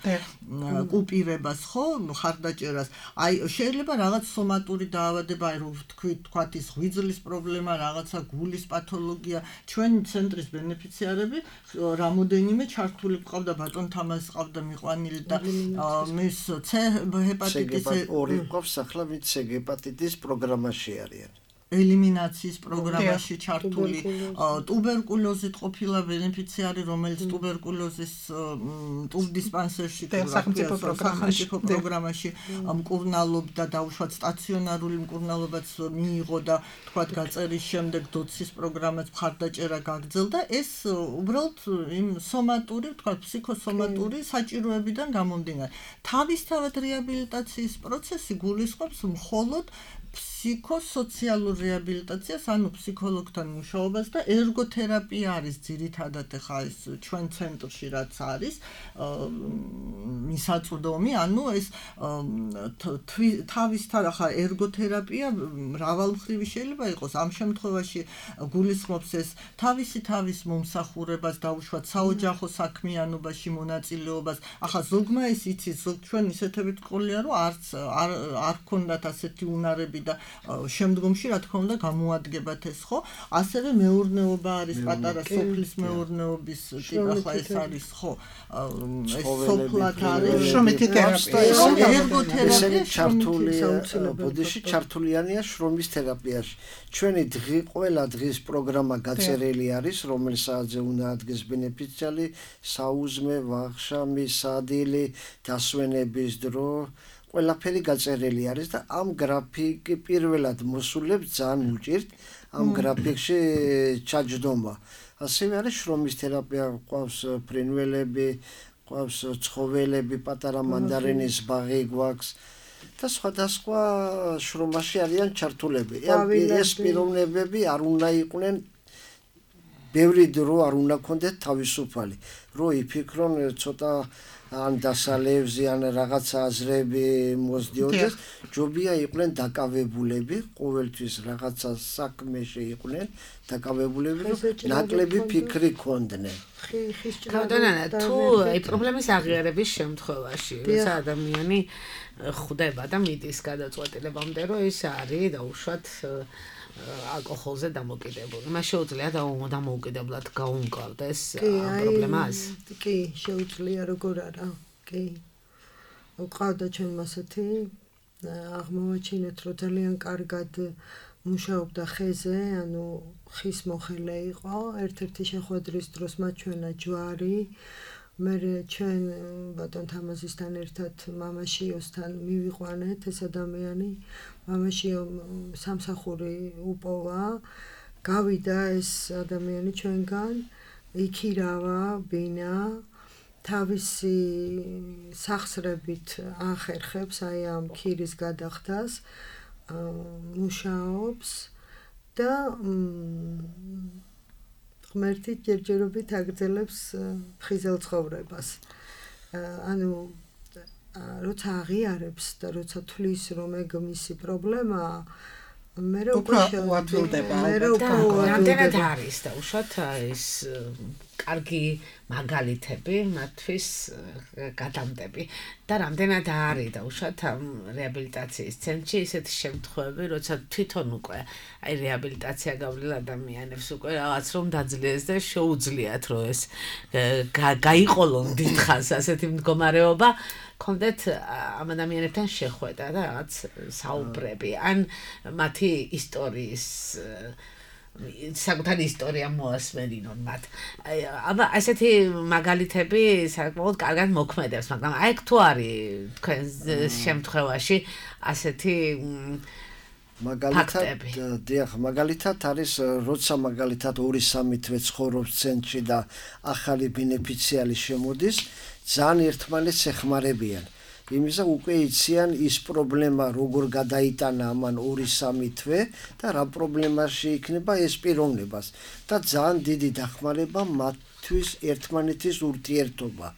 კუპირებას ხო ხარდაჭერას აი შეიძლება რაღაც სომატური დაავადება აი რომ თქვათ ის ღვიძლის პრობლემა რაღაცა გულის პათოლოგია ჩვენი ცენტრის ბენეფიციარები რამოდენიმე ჩართული ყავდა ბატონ თამას ყავდა მიყვანილი და მის C ჰეპატიტისი ორი ყავს ახლა ვინც C ჰეპატიტის პროგრამაში არიან ელიმინაციის პროგრამაში ჩართული ტუბერკულოზით ყოფილა ბენეფიციარი რომელიც ტუბერკულოზის ტუბდისპანსერში სახელმწიფო პროგრამაში მკურნალობდა დაუშვათ სტაციონარული მკურნალობაც მიიღო და თქვათ გაწერის შემდეგ დოცის პროგრამაც მხარდაჭერა გაგრძელდა ეს უბრალოდ იმ სომატური თქვათ ფსიქოსომატური საჭიროებიდან გამომდინარე თავისთავად რეაბილიტაციის პროცესი გულისხმობს მხოლოდ ფსიქოსოციალურ რეაბილიტაციას, ანუ ფსიქოლოგთან მუშაობას და ერგოთერაპია არის ძირითადად ხა ეს ჩვენ ცენტრში რაც არის მისაწვდომი, ანუ ეს თავისთან ხა ერგოთერაპია მრავალმხრივი შეიძლება იყოს. ამ შემთხვევაში გულისხმობს ეს თავის მომსახურებას დაუშვათ საოჯახო საქმიანობაში მონაწილეობას. ახლა ზოგმა ეს იცის, ზოგ ჩვენ ისეთებით ყოლია, რომ არ ქონდათ ასეთი უნარები და შემდგომში რა თქმა უნდა გამოადგებათ ეს ხო ასევე მეურნეობა არის პატარა სოფლის მეურნეობის ტიპი ახლა ეს არის ხო ეს სოფლად არის შრომითი თერაპია ესენი ჩართულია ბოდიში ჩართულიანია შრომის თერაპიაში ჩვენი ყველა დღის პროგრამა გაწერილი არის რომელსაც უნდა ადგეს ბენეფიციარი საუზმე ვახშამი სადილი დასვენების დრო ყველაფერი გაწერილი არის და ამ გრაფიკი პირველად მოსულებს ძალიან უჭირთ ამ გრაფიკში ჩაჯდომა. ასევე არის შრომის თერაპია, ყავს ფრინველები, ყავს ცხოველები, პატარა მანდარინის ბაღი გვაქვს და სხვადასხვა შრომაში არიან ჩართულები. ეს პიროვნებები არ უნდა იყვნენ ბევრი დრო არ უნდა ქონდეთ თავისუფალი. რო იფიქრონ ცოტა ან დასალევზე ან რაღაცა აზრები მოსდიოდეს, ჯობია იყვნენ დაკავებულები, ყოველთვის რაღაცა საქმეში იყვნენ დაკავებულები, ნაკლები ფიქრი ქონდნენ. ქადონანა თუ აი პრობლემის აღიარების შემთხვევაში, როცა ადამიანი ხვდება და მიდის გადაწყვეტილებამდე, რომ ის არის დაუშვათ ალკოჰოლზე დამოკიდებული. მას შეუძლია დამოუკიდებლად გაუმკლავდეს ამ პრობლემას? კი, შეუძლია, როგორ არა. კი. ყავდა ჩვენ ასეთი აღმოვაჩინეთ, რომ ძალიან კარგად მუშაობდა ხეზე, ანუ ხის მოხელე იყო, ერთ-ერთი შეხვედრის დროს მათ ჩვენა ჯვარი, მე ჩვენ ბატონ თამაზისთან ერთად მამაშიოსთან მივიყვანეთ ეს ადამიანი, მამაშიო სამსახური უპოვა, გავიდა ეს ადამიანი ჩვენგან, იქირავა ბინა, თავისი სახსრებით ახერხებს აი ამ ქირის გადახდას, მუშაობს და ღმერთი ჯერჯერობით აგრძელებს ფხიზელ ცხოვრებას. ანუ როცა აღიარებს და როცა თვლის რომ ეგ მისი პრობლემაა, მე უფრო უათვლდება. რამდენად არის და უშოთ ის კარგი მაგალითები მათთვის გადამდები და რამდენად არის და უშოთ ამ რეაბილიტაციის ცენტრში ისეთი შემთხვევები, როცა თვითონ უკვე აი რეაბილიტაცია გავლილ ადამიანებს უკვე რაღაც რომ დაძლიეს და შეუძლიათ რომ ეს გაიყოლონ დიდხანს ასეთი მდგომარეობა კონდეთ ამ ადამიანებთან შეხვედა და რაღაც საუბრები ან მათი ისტორიის საკუთარი ისტორია მოასმენინონ მათ. აბა ასეთი მაგალითები საკმაოდ კარგად მოქმედებს, მაგრამ აი თუ არის თქვენ შემთხვევაში ასეთი მაგალითად არის როცა მაგალითად 2-3 თვე ცხოვრობს ცენტრში და ახალი ბენეფიციარი შემოდის, ძალიან ერთმანეთს ეხმარებიან. იმისა უკვე იციან ის პრობლემა როგორ გადაიტანა ამან 2-3 თვე და რა პრობლემაში იქნება ეს პიროვნებას და ძალიან დიდი დახმარება მათთვის ერთმანეთის ურთიერთობა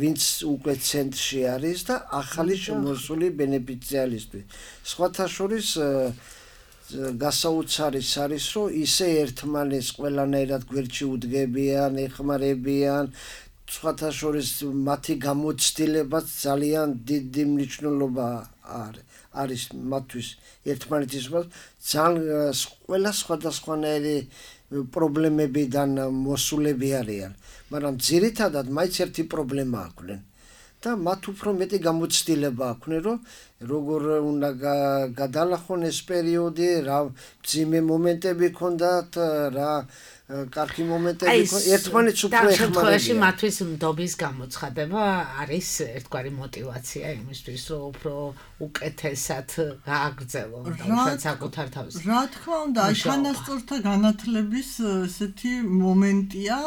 ვინც უკვე ცენტრში არის და ახალი შემოსული ბენეფიციარისთვის. სხვათა შორის გასაოცარიც არის რომ ისე ერთმანეთს ყველანაირად გვერდში უდგებიან, ეხმარებიან სხვათა შორის მათი გამოცდილებაც ძალიან დიდი მნიშვნელობა არის მათთვის ერთმანეთის ძალიან ყველა სხვადასხვანაირი პრობლემებიდან მოსულები არიან, მაგრამ ძირითადად მაინც ერთი პრობლემა აქვთ და მათ უფრო მეტი გამოცდილება აქვთ, რომ როგორ უნდა გადალახონ ეს პერიოდი, რა მძიმე მომენტები ქონდათ, რა კარგი მომენტები ერთმანეთს უფრო ეხმარებიან. მათთვის ნდობის გამოცხადება არის ერთგვარი мотиваცია იმისთვის, რომ უფრო უკეთესად გააგრძელონ და საკუთარ თავს. რა თქმა უნდა, აი თანასწორთა განათლების ესეთი მომენტია,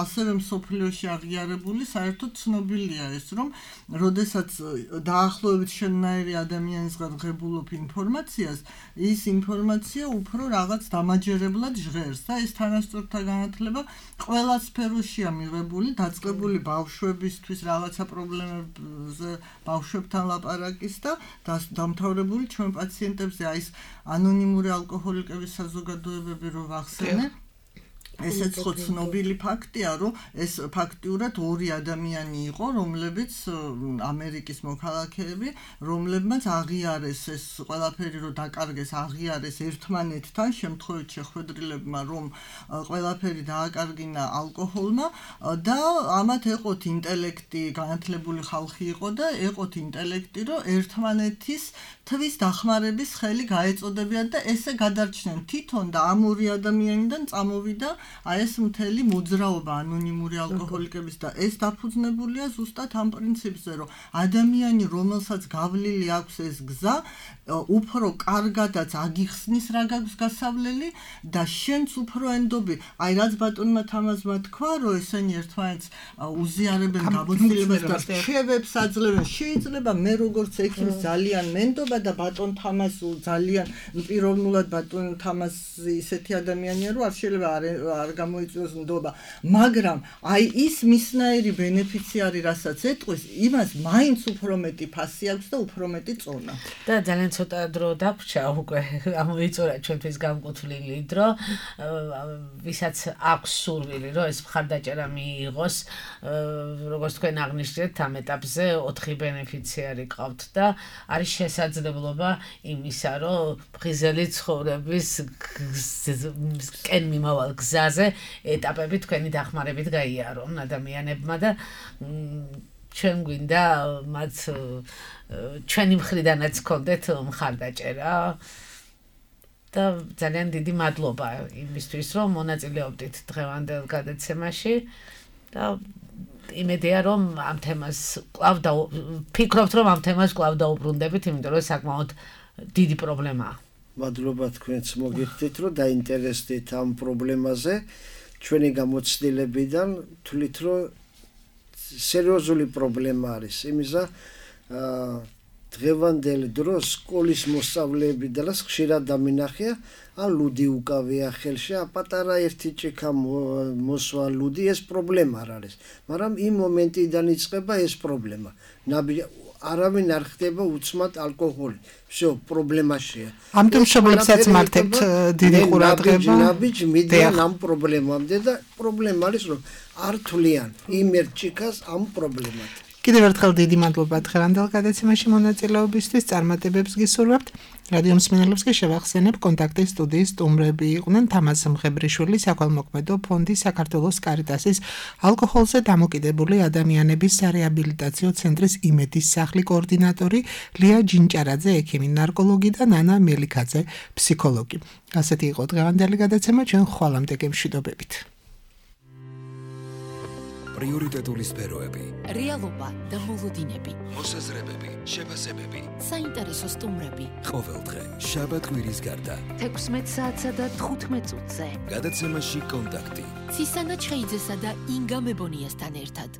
ასევე მსოფლიოში აღიარებული, საერთოდ ცნობილია ეს, რომ როდესაც დაახლოებით შენნაირი ადამიანისგან ღებულობ ინფორმაციას, ის ინფორმაცია უფრო რაღაც დამაჯერებლად ჟღერს და ეს თანასწორთა განათლება ყველა სფეროშია მიღებული, დაწყებული ბავშვებისთვის რაღაცა პრობლემებზე ბავშვებთან ლაპარაკის და დამთავრებული ჩვენ პაციენტებზე აი ეს ანონიმური ალკოჰოლიკების საზოგადოებები რო ვახსენე ესეც ხო ცნობილი ფაქტია, რომ ეს ფაქტიურად 2 ადამიანი იყო, რომლებიც ამერიკის მოქალაქეები, რომლებმაც აღიარეს ეს ყველაფერი, რომ დაკარგეს, აღიარეს ერთმანეთთან, შემთხვევით შეხვედრილებმა, რომ ყველაფერი დააკარგინა ალკოჰოლმა და ამათ ეყოთ ინტელექტი, განათლებული ხალხი იყო და ეყოთ ინტელექტი, რომ ერთმანეთის თვის დახმარების ხელი გაეწოდებიან და ესე გადარჩნენ თვითონ და ამ 2 ადამიანიდან წამოვიდა აი ეს მთელი მოძრაობა ანონიმური ალკოჰოლიკების და ეს დაფუძნებულია ზუსტად ამ პრინციპზე, რომ ადამიანი, რომელსაც გავლილი აქვს ეს გზა, უფრო კარგადაც აგიხსნის რა გაქვს გასავლელი და შენც უფრო ენდობი. აი რაც ბატონმა თამაზმა თქვა, რომ ესენი ერთმანეთს უზიარებენ გამოცდილებას და რჩევებს აძლევენ. შეიძლება მე როგორც ექიმს ძალიან მენდობა და ბატონ თამაზ ძალიან პიროვნულად ბატონ თამაზი ისეთი ადამიანია, რომ არ შეიძლება არ გამოიწვიოს ნდობა, მაგრამ აი ის მისნაირი ბენეფიციარი, რასაც ეტყვის, იმას მაინც უფრო მეტი ფასი აქვს და უფრო მეტი წონა. და ძალიან ცოტა დრო დაგვრჩა უკვე ამოიწურა ჩვენთვის განკუთვნილი დრო, ვისაც აქვს სურვილი, რომ ეს მხარდაჭერა მიიღოს, როგორც თქვენ აღნიშნეთ, ამ ეტაპზე 4 ბენეფიციარი ყავთ და არის შესაძლებლობა იმისა, რომ ფხიზელი ცხოვრების კენმიმავალ გზაზე ეტაპები თქვენი დახმარებით გაიარონ ადამიანებმა და ჩვენ გვინდა მათ ჩვენი მხრიდანაც გქონდეთ მხარდაჭერა და ძალიან დიდი მადლობა იმისთვის, რომ მონაწილეობდით დღევანდელ გადაცემაში და იმედია, რომ ამ თემას კვლავ ფიქრობთ, რომ ამ თემას კვლავ დაუბრუნდებით, იმიტომ რომ საკმაოდ დიდი პრობლემაა. მადლობა თქვენს მოგიხდით, რომ დაინტერესდით ამ პრობლემაზე. ჩვენი გამოცდილებიდან თვლით, რომ სერიოზული პრობლემა არის. იმისა დღევანდელ დროს სკოლის მოსწავლეები და ხშირად დამინახია, ან ლუდი უკავია ხელში, პატარა ერთი ჭიქა მოსვა ლუდი, ეს პრობლემა არ არის. მაგრამ იმ მომენტიდან იწყება ეს პრობლემა. არავინ არ ხდება უცმად ალკოჰოლი. всё, პრობლემაშია. ამიტომ მშობლებსაც მართებთ დიდი ყურადღება. ნაბიჯ მიდიან ამ პრობლემამდე და პრობლემა არის, რომ არ თვლიან იმ ერთ ჭიქას ამ პრობლემად. კიდევ ერთხელ დიდი მადლობა დღევანდელ გადაცემაში მონაწილეობისთვის. წარმატებებს გისურვებთ. რადიო მსმენელებს კი შევახსენებ, კონტაქტის სტუდიის სტუმრები იყვნენ თამაზ მღებრიშვილი, საქველმოქმედო ფონდი საქართველოს კარიტასის ალკოჰოლზე დამოკიდებული ადამიანების სარეაბილიტაციო ცენტრის იმედის სახლი კოორდინატორი ლია ჯინჭარაძე, ექიმი ნარკოლოგი და ნანა მელიქაძე, ფსიქოლოგი. ასეთი იყო დღევანდელი გადაცემა, ჩვენ ხვალამდე გემშვიდობებით. პრიორიტეტული სფეროები, რეალობა და მოლოდინები, მოსაზრებები, შეფასებები, საინტერესო სტუმრები. ყოველდღე შაბათ-კვირის გარდა 16 საათსა და 15 წუთზე. გადაცემაში კონტაქტი. ცისანა ჩხეიძესა და ინგა მებონიასთან ერთად.